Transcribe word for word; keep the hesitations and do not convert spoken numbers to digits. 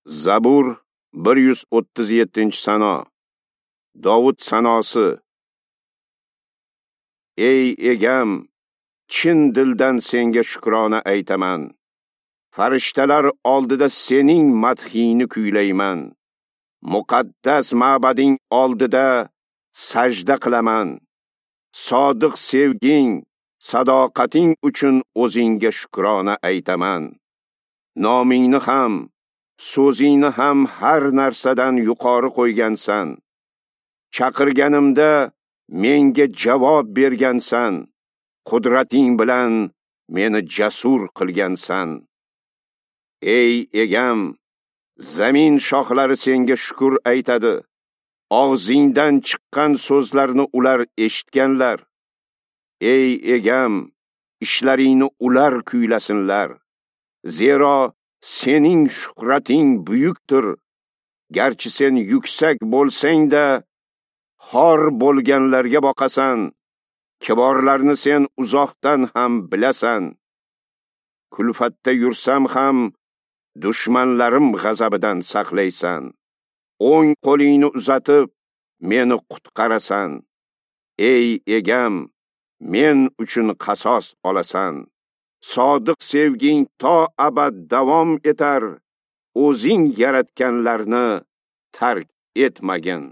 Zabur bir yuz o'ttiz yettinchi sano. Dovud sanosi. Ey egam, chin dildan senga shukrona aytaman. Farishtalar oldida sening madhingni kuylayman. Muqaddas ma'bading oldida sajda qilaman. Sodiq sevging, sadoqating uchun o'zingga shukrona aytaman. Nomingni ham, so'zingni ham har narsadan yuqori qo'ygansan. Chaqirganimda menga javob bergansan. Qudrating bilan meni jasur qilgansan. Ey egam, zamin shoxlari senga shukr aytadi. Og'zingdan chiqqan so'zlarni ular eshitganlar. Ey egam, ishlaringni ular kuylasinlar. Zero sening shuhrating buyukdir. Garchi sen yuksak bo'lsang-da, xor bo'lganlarga boqasan. Kiborlarni sen uzoqdan ham bilasan. Kulfatda yursam ham dushmanlarim g'azabidan saqlaysan. O'ng qo'lingni uzatib meni qutqarasan. Ey egam, men uchun qasos olasan. Sodiq sevging to abad davom etar. O'zing yaratganlarni tark etmagin.